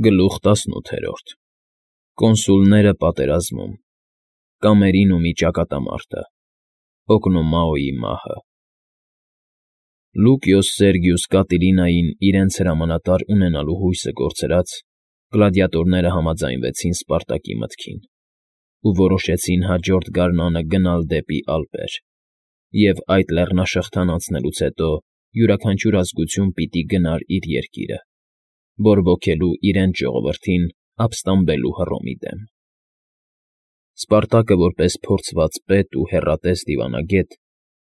Գլուխ 18 Կոնսուլները պատերազմում, Կամերինումի ճակատամարտը, Օկնոմաոյի մահը։ Լուկիոս Սերգիուս Կատիլինային իրենց հրամանատար ունենալու հույսը կորցրած, գլադիատորները համաձայնվեցին Սպարտակի մտքին ու որոշեցին հաջորդ գարնանը գնալ դեպի Ալպեր, և այդ լեռնաշղթան անցնելուց հետո յուրաքանչյուր ազգություն պիտի գնար իր երկիրը, բորբոքելու իրենց ժողովրդին ապստամբելու Հռոմի դեմ։ Սպարտակը որպես փորձված պետ ու հեռատես դիվանագետ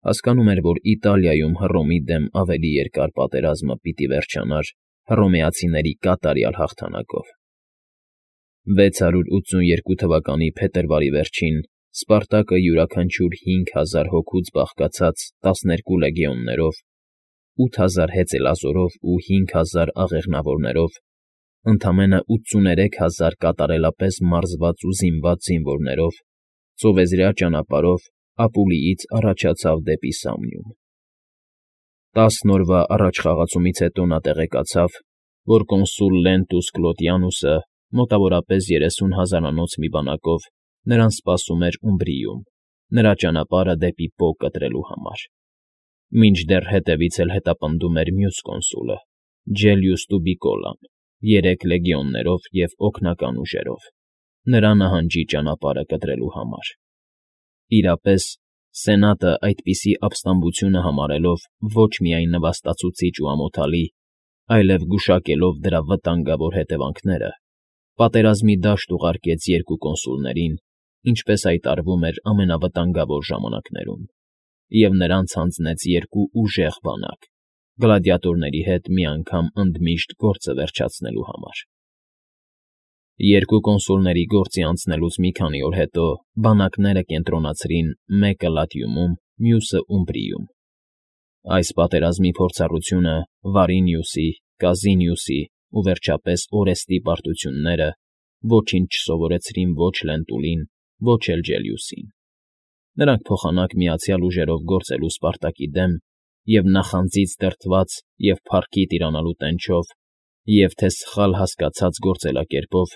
հասկանում էր, որ Իտալիայում Հռոմի դեմ ավելի երկար պատերազմը պիտի վերջանար հռոմեացիների կատարյալ հաղթանակով։ 682 թվականի փետրվարի վերջին Սպարտակը յուրաքանչյուր 5000 հոգուց բաղկացած 12 լեգիոններով, 8000 հեծելազորով ու 5000 աղեղնավորներով, ընդամենը 83000 կատարելապես մարզված ու զինված զինվորներով, ծովեզրահ ճանապարհով Ապուլիից առաջացավ դեպի Սամնիում։ 10 օրվա առաջխաղացումից հետո նա տեղեկացավ, որ կոնսուլ Լենտուս Կլոդիանուսը մոտավորապես 30,000-անոց մի բանակով նրան սպասում էր Ումբրիում, նրա ճանապարհը դեպի Պո կտրելու համար։ Մինչդեռ հետևից էլ հետապնդում էր մյուս կոնսուլը՝ Ջելիուս Տուբիկոլան, 3 լեգիոններով և օգնական ուժերով, նրա նահանջի ճանապարհը կտրելու համար։ Իրապես, Սենատը այդպիսի ապստամբությունը համարելով ոչ միայն նվաստացուցիչ ու ամոթալի, այլև գուշակելով դրա վտանգավոր հետևանքները, պատերազմի դաշտ ուղարկեց 2 կոնսուլներին, ինչպես այդ արվում էր ամենավտանգավոր ժամանակներում, և նրանց հանձնեց 2 ուժեղ բանակ՝ գլադիատորների հետ մի անգամ ընդմիշտ գործը վերջացնելու համար։ 2 կոնսուլների գործի անցնելուց մի քանի օր հետո բանակները կենտրոնացրին մեկը Լատիումում, մյուսը Ումբրիում։ Այս պատերազմի փորձառությունը Վարինիուսի, Կազինիուսի ու վերջապես Օրեստի պարտությունները ոչինչ չսովորեցրին ոչ Լենտուլին, ոչ էլ Ջելիուսին։ Նրանք փոխանակ միացյալ ուժերով գործելու Սպարտակի դեմ և նախանձից դրդված և փառքի տիրանալու տենչով և թե սխալ հասկացած գործելակերպով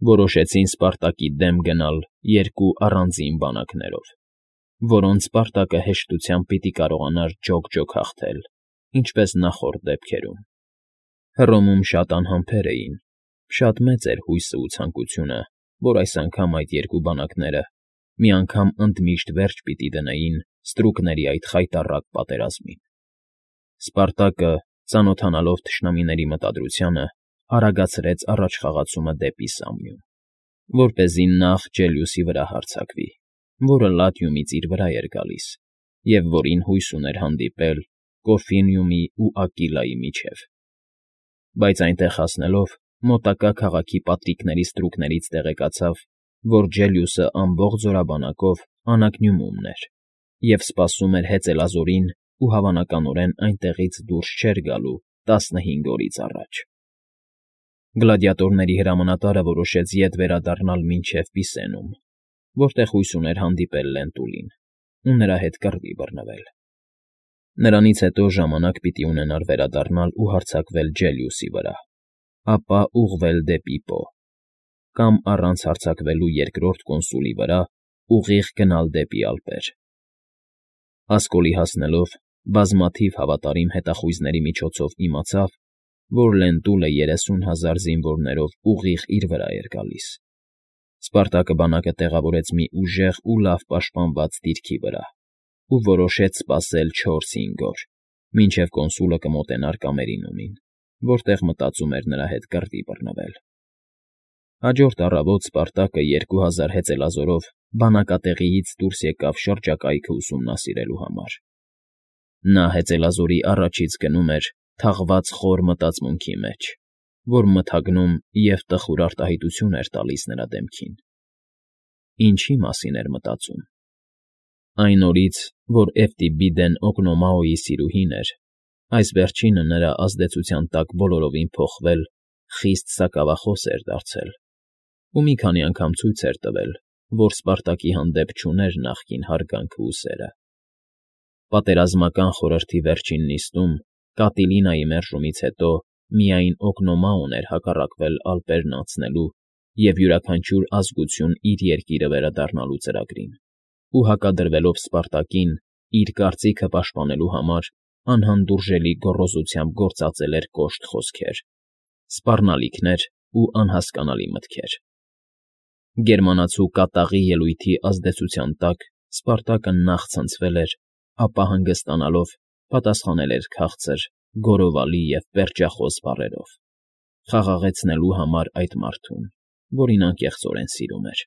որոշեցին Սպարտակի դեմ գնալ 2 առանձին բանակներով, որոնց Սպարտակը հեշտությամբ պիտի կարողանար ջոկ-ջոկ հաղթել, ինչպես նախորդ դեպքերում։ Հռոմում շատ անհամբեր էին, շատ մեծ էր հույսն ու ցանկությունը, որ այս անգամ այդ 2 բանակները մի անգամ ընդմիշտ վերջ պիտի դնեին ստրուկների այդ խայտառակ պատերազմին։ Սպարտակը, ծանոթանալով թշնամիների մտադրությանը, արագացրեց առաջխաղացումը դեպի Սամնիում, որպեսզի նախ Ջելիուսի վրա հարձակվի, որը Լատիումից իր վրա էր գալիս, և որին հույս ուներ հանդիպել Կորֆինիումի ու Ակիլայի միջև։ Բայց այնտեղ հասնելով, մոտակա քաղաքի պատրիկների ստրուկներից տեղեկացավ, որ Ջելիուսը ամբողջ զորաբանակով անակնյումումն էր և սպասում էր հեծելազորին ու հավանականորեն այնտեղից դուրս չէր գալու 15 օրից առաջ։ Գլադիատորների հրամանատարը որոշեց ետ վերադառնալ մինչև Պիսենում, որտեղ հույս ուներ հանդիպել Լենտուլին ու նրա հետ կռվի բռնվել։ Նրանից հետո ժամանակ պիտի ունենար վերադառնալ ու հարձակվել Ջելիուսի վրա, ապա ուղղվել դեպի Պո, կամ առանց հարձակվելու 2-րդ կոնսուլի վրա ուղիղ գնալ դեպի Ալպեր։ Ասկոլի հասնելով, բազմաթիվ հավատարիմ հետախույզների միջոցով իմացավ, որ Լենտուլը 30,000 զինվորներով ուղիղ իր վրա էր գալիս։ Սպարտակը բանակը տեղավորեց մի ուժեղ ու լավ պաշտպանված դիրքի վրա ու որոշեց սպասել 4-5 օր, մինչև կոնսուլը կմոտենար Կամերինումին, որտեղ մտածում էր նրա հետ կռվի բռնվել։ Հաջորդ առավոտ Սպարտակը 2000 հեծելազորով բանակատեղիից դուրս եկավ շրջակայքը ուսումնասիրելու համար։ Նա հեծելազորի առաջից գնում էր թաղված խոր մտածմունքի մեջ, որ մթագնում և տխուր արտահայտություն էր տալիս նրա դեմքին։ Ինչի մասին էր մտածում։ Այն օրից, որ Էվտիբիդեն Օկնոմաոյի սիրուհին էր, այս վերջինը նրա ազդեցության տակ բոլորովին փոխվել, խիստ սակավախոս էր դարձել ու մի քանի անգամ ցույց էր տվել, որ Սպարտակի հանդեպ չուներ նախկին հարգանքը ու սերը։ Պատերազմական խորհրդի վերջին նիստում, Կատիլինայի մերժումից հետո միայն Օկնոմաոն էր հակառակվել ալպերն անցնելու և յուրաքանչյուր ազգություն իր երկիրը վերադառնալու ծրագրին, ու հակադրվելով Սպարտակին իր կարծիքը պաշտպանելու համար անհանդուրժելի գոռոզությամբ գործածել էր կոշտ խոսքեր, սպառնալիքներ ու անհասկանալի մտքեր։ Գերմանացու կատաղի ելույթի ազդեցության տակ Սպարտակը նախ ցնցվել էր, ապա հանգստանալով պատասխանել էր քաղցր, գոռովալի և պերճախոս բառերով, խաղաղեցնելու համար այդ մարդուն, որին անկեղծորեն սիրում էր։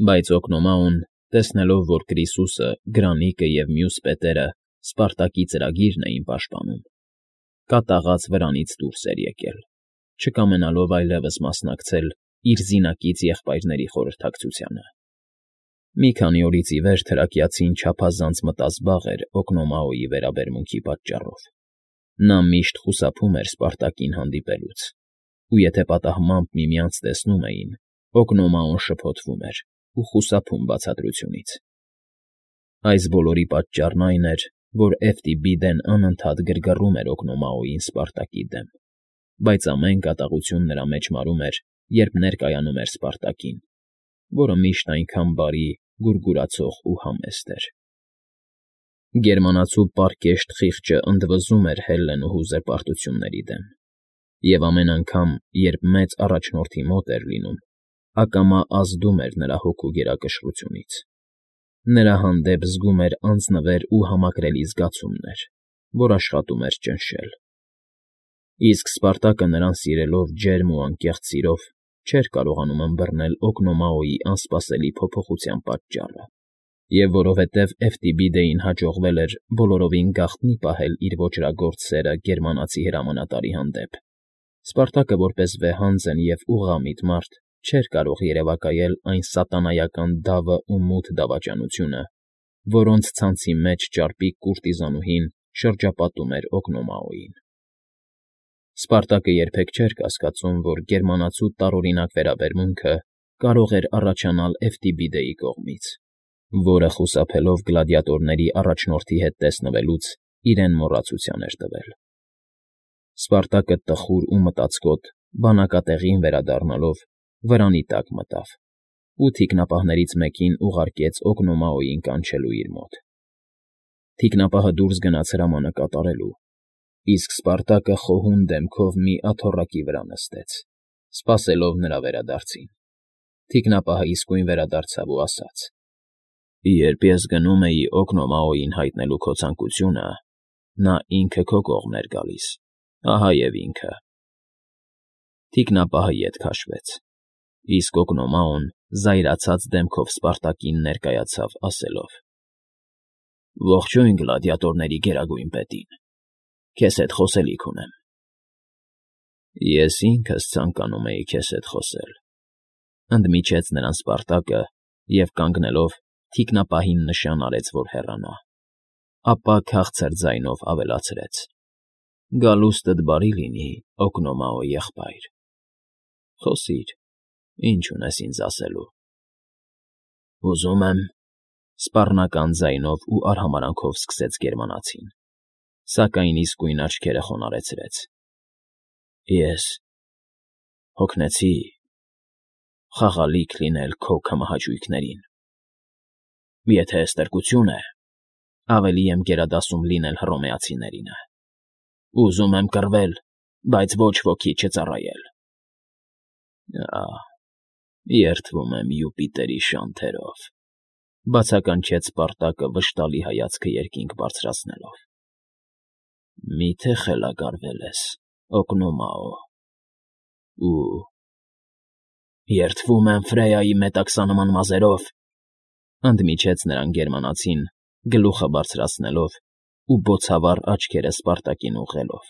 Բայց Օկնոմաոն, տեսնելով, որ Կրիսուսը, Գրանիկը և մյուս պետերը Սպարտակի ծրագիրն էին պաշտպանում, կատաղած վրանից դուրս էր եկել, չկամենալով այլևս մասնակցել իր զինակից եղբայրների խորհրդակցությանը։ Մի քանի օրից ի վեր թրակիացին չափազանց մտազբաղ էր Օկնոմաոյի վերաբերմունքի պատճառով։ Նա միշտ խուսափում էր Սպարտակին հանդիպելուց, ու եթե պատահմամբ միմյանց տեսնում էին, Օկնոմաոն շփոթվում էր ու խուսափում բացատրությունից։ Այս բոլորի պատճառն այն էր, որ Էֆտիբիդեն անընդհատ գրգռում էր Օկնոմաոյին Սպարտակի դեմ, բայց ամեն կատաղություն նրա մեջ մարում էր, երբ ներկայանում էր Սպարտակին, որը միշտ այնքան բարի, գուրգուրացող ու համեստ էր։ Գերմանացու պարկեշտ խիղճը ընդվզում էր Հելլենուհու զրպարտությունների դեմ, և ամեն անգամ, երբ մեծ առաջնորդի մոտ էր լինում, ակամա ազդում էր նրա հոգու գերակշռությունից։ Նրա հանդեպ զգում էր անձնվեր ու համակրելի զգացումներ, որ աշխատում էր ճնշել։ Իսկ Սպարտակը նրան սիրելով ջերմ ու անկեղծ սիրով չէր կարողանում ըմբռնել Օկնոմաոյի անսպասելի փոփոխության պատճառը, և որովհետև Էֆտիբիդեին հաջողվել էր բոլորովին գաղտնի պահել իր ոճրագործ սերը գերմանացի հրամանատարի հանդեպ, Սպարտակը որպես վեհանձն և ուղղամիտ մարդ չէր կարող երևակայել այն սատանայական դավը ու մութ դավաճանությունը, որոնց ցանցի մեջ ճարպիկ կուրտիզանուհին շրջապատում էր Օկնոմաոյին։ Սպարտակը երբեք չէր կասկածում, որ գերմանացու տարօրինակ վերաբերմունքը կարող էր առաջանալ Էֆտիբիդեի կողմից, որը խուսափելով գլադիատորների առաջնորդի հետ տեսնվելուց իրեն մոռացության էր տվել։ Սպարտակը տխուր ու մտածկոտ բանակատեղին վերադառնալով վրանի տակ մտավ ու թիկնապահներից մեկին ուղարկեց Օկնոմաոյին կանչելու իր մոտ։ Թիկնապահը դուրս գնաց հրամանը կատարելու, իսկ Սպարտակը խոհուն դեմքով մի աթոռակի վրա նստեց, սպասելով նրա վերադարձին։ Թիկնապահը իսկույն վերադարձավ ու ասաց. «Երբ ես գնում էի Օկնոմաոյին հայտնելու քո ցանկությունը, նա ինքը քո կողմն էր գալիս, ահա և ինքը»։ Թիկնապահը ետ քաշվեց, իսկ Օկնոմաոն զայրացած դեմքով Սպարտակին ներկայացավ, ասելով. «Ողջույն գլադիատորների գերագույն պետին, քեզ հետ խոսելիք ունեմ»։ «Ես ինքս ցանկանում էի քեզ հետ խոսել», ընդմիջեց նրան Սպարտակը և, կանգնելով, թիկնապահին նշան արեց, որ հեռանա, ապա քաղցր ձայնով ավելացրեց. «Գալուստդ բարի լինի, Օկնոմաո եղբայր։ Խոսիր, ինչ ունես ինձ ասելու»։ «Ուզում եմ», սպառնական ձայնով ու արհամարհանքով սկսեց գերմանացին, սակայն իսկույն աչքերը խոնարհեցրեց։ «Ես հոգնեցի խաղալիք լինել քո քմահաճույքներին։ Եթե ստրկություն է, ավելի եմ գերադասում լինել հռոմեացիներինը։ Ուզում եմ կռվել, բայց ոչ ոքի չծառայել։ Երդվում եմ Յուպիտերի շանթերով», բացականչեց Սպարտակը վշտալի հայացքը երկինք բարձրացնելով։ «Մի՞թե խելագարվել ես, Օկնոմաո, ու երդվում եմ Ֆրեյայի մետաքսանման մազերով», ընդմիջեց նրան գերմանացին, գլուխը բարձրացնելով ու բոցավառ աչքերը Սպարտակին ուղղելով։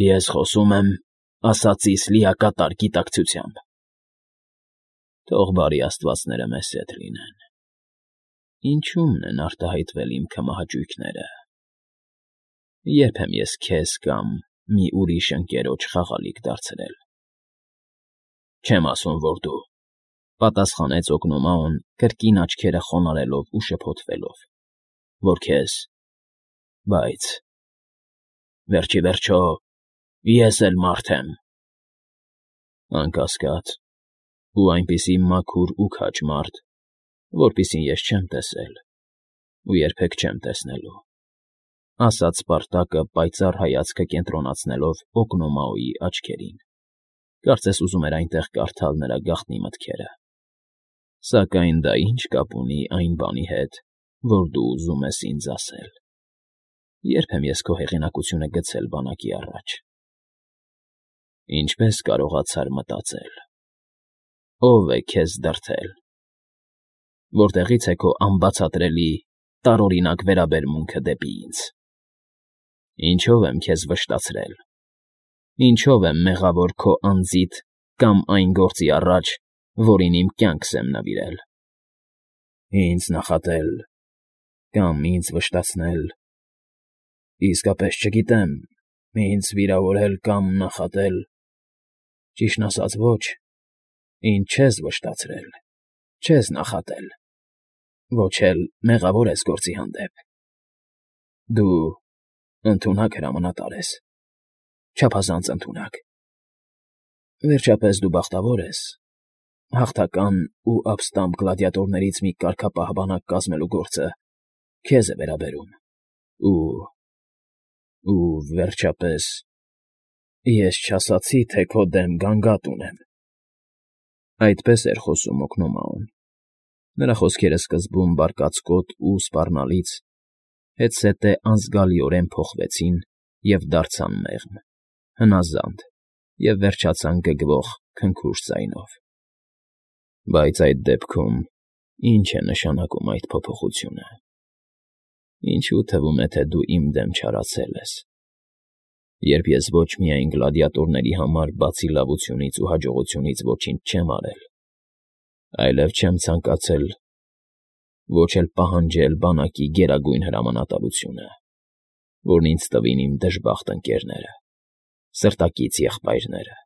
«Ես խոսում եմ ասածիս լիակատար գիտակցությամբ»։ «Թող բարի աստվածները մեզ հետ լինեն։ Ինչո՞ւմն են արտահայտվել իմ քմահաճույքները։ Երբ եմ ես քեզ կամ մի ուրիշ ընկերոջ խաղալիք դարձրել»։ «Չեմ ասում, որ դու», պատասխանեց Օկնոմաոն, կրկին աչքերը խոնարհելով ու շփոթվելով, «որ քեզ, բայց Վերջի վերջո, ես էլ մարդ եմ։ Անկասկած, ու այնպիսի մաքուր ու քաջ մարդ, որպիսին ես չեմ տեսել ու երբեք չեմ տեսնելու, ասաց Սպարտակը պայծառ հայացքը կենտրոնացնելով Օկնոմաոյի աչքերին, կարծես ուզում էր այնտեղ կարդալ նրա գաղտնի մտքերը։ Սակայն դա ինչ կապ ունի այն բանի հետ, որ դու ուզում ես ինձ ասել։ Երբ եմ ես քո հեղինակությունը գցել բանակի առաջ։ Ինչպես կարողացար մտածել։ Ո՞վ է քեզ դրդել։ Որտեղից է քո անբացատրելի, տարօրինակ վերաբերմունքը դեպի ինձ։ Ինչո՞վ եմ քեզ վշտացրել։ Ինչո՞վ եմ մեղավոր քո անձիդ կամ այն գործի առաջ, որին իմ կյանքս եմ նվիրել։ Ինձ նախատել կամ ինձ վշտացնել։ Իսկապես չգիտեմ, ինձ վիրավորել կամ նախատել։ Ճիշտն ասած, ոչ, ինձ չես վշտացրել, չես նախատել, ոչ էլ մեղավոր ես գործի հանդեպ։ Դու ընդունակ հրամանատար ես, չափազանց ընդունակ։ Վերջապես դու բախտավոր ես, հաղթական ու ապստամբ գլադիատորներից մի կարգապահ բանակ կազմելու գործը քեզ է վերաբերում, ու վերջապես ես չասացի, թե քո դեմ գանգատ ունեմ։ Այդպես էր խոսում Օկնոմաոն։ Նրա խոսքերը սկզբում բարկացկոտ ու սպառնալից, հետզհետե անզգալիորեն փոխվեցին և դարձան մեղմ, հնազանդ և վերջացան գգվող քնքուշ ձայնով։ Բայց այդ դեպքում ի՞նչ է նշանակում այդ փոփոխությունը։ Ինչու թվում է, թե դու իմ դեմ չարացել ես, երբ ես ոչ միայն գլադիատորների համար բացի լավությունից ու հաջողությունից ոչինչ չեմ արել, այլև չեմ ցանկացել ոչ էլ պահանջել բանակի գերագույն հրամանատարությունը, որն ինձ տվին իմ դժբախտ ընկերները, սրտակից եղբայրները,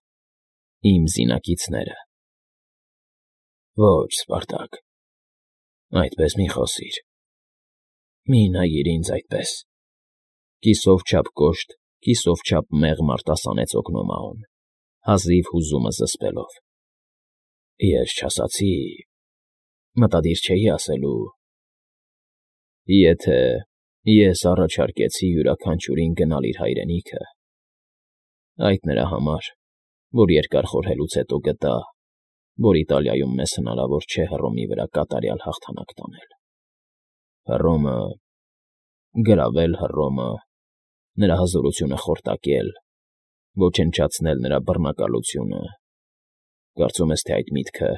իմ զինակիցները։ Ոչ, Սպարտակ, այդպես մի խոսիր։ Մի նայիր ինձ այդպես։ Կիսով չափ կոշտ, կիսով չափ մեղմ արտասանեց Օկնոմաոն, հազիվ հուզումը զսպելով։ Ես չասացի, մտադիր չէի ասելու։ Եթե ես առաջարկեցի յուրաքանչյուրին գնալ իր հայրենիքը, այդ նրա համար, որ երկար խորհելուց հետո գտա, որ Իտալիայում մեզ հնարավոր չէ Հռոմի վրա կատարյալ հաղթանակ տանել։ Հռոմը, գրավել Հռոմը, նրա հզորությունը խորտակել, ոչնչացնել նրա բռնակալությունը, կարծում ես, թե այդ միտքը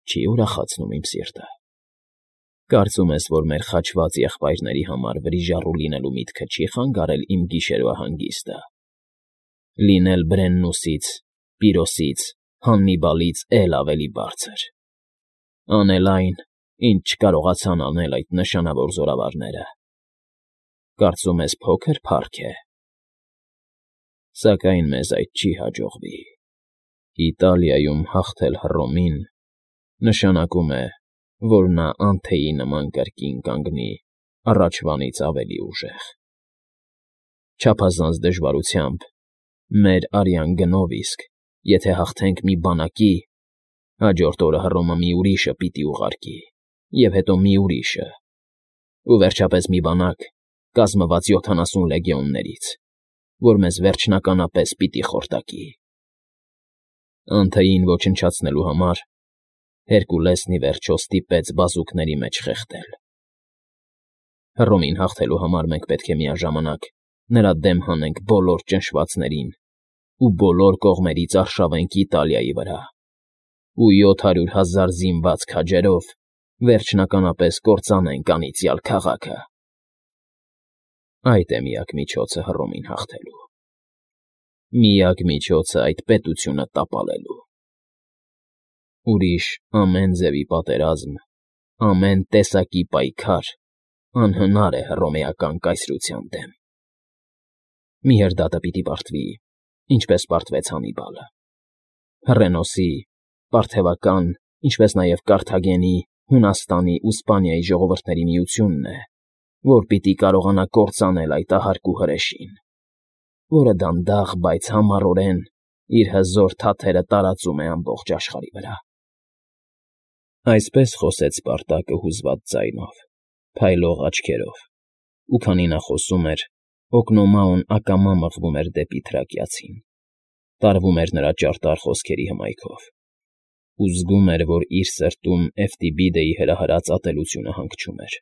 չի ուրախացնում իմ սիրտը։ Կարծում ես, որ մեր խաչված եղբայրների համար վրիժառու լինելու միտքը չի խանգարել իմ գիշերվա հանգիստը։ Լինել Բրեննուսից, Պիրոսից, Հաննիբալից էլ ավելի բարձր։ Անել այն, ինչ չկարողացան անել այդ նշանավոր զորավարները։ Կարծում ես փոքր փառք է։ Սակայն մեզ այդ չի հաջողվի։ Իտալիայում հաղթել Հռոմին նշանակում է, որ նա անթեյի նման կրկին կանգնի առաջվանից ավելի ուժեղ։ Չափազանց դժվարությամբ, մեր արյան գնով իսկ, եթե հաղթենք մի բանակի, հաջորդ օրը Հռոմը մի ուրիշը պիտի ուղարկի, և հետո մի ուրիշը, ու վերջապես մի բանակ, կազմված 70 լեգիոններից, որ մեզ վերջնականապես պիտի խորտակի։ Անթեյին ոչնչացնելու համար Հերկուլեսն ի վերջո ստիպեց բազուկների մեջ խեղդել։ Հռոմին հաղթելու համար մենք պետք է միաժամանակ նրա դեմ հանենք բոլոր ճնշվածներին ու բոլոր կողմերից արշավենք Իտալիայի վրա, ու 700,000 զինված քաջերով վերջնականապես կործանենք անիծյալ քաղաքը։ Այդ է միակ միջոցը Հռոմին հաղթելու։ Միակ միջոցը այդ պետությունը տապալելու։ Ուրիշ ամեն ձևի պատերազմ, ամեն տեսակի պայքար անհնար է հռոմեական կայսրության դեմ։ Մի հրդադը պիտի պարտվի, ինչպես պարտվեց Հաննիբալը։ Հռենոսի, Պարթևական, ինչպես նաև Կարթագենի, Հունաստանի ու Սպանիայի ժողովուրդների միությունն է, որ պիտի կարողանա կործանել այդ ահարկու հրեշին։ որը դանդաղ, բայց համառորեն իր հզոր թաթերը տարածում է ամբողջ աշխարհի վրա։ Այսպես խոսեց Սպարտակը հուզված ձայնով, փայլող աչքերով, ու քանի նա խոսում էր, հոգնոմաոն ակամա մղվում էր դեպի թրակիացին, տարվում էր նրա ճարտար խոսքերի հմայքով, ու զգում էր, որ իր սրտում Էֆտիբիդեի հրահրած ատելությունը հանգչում էր։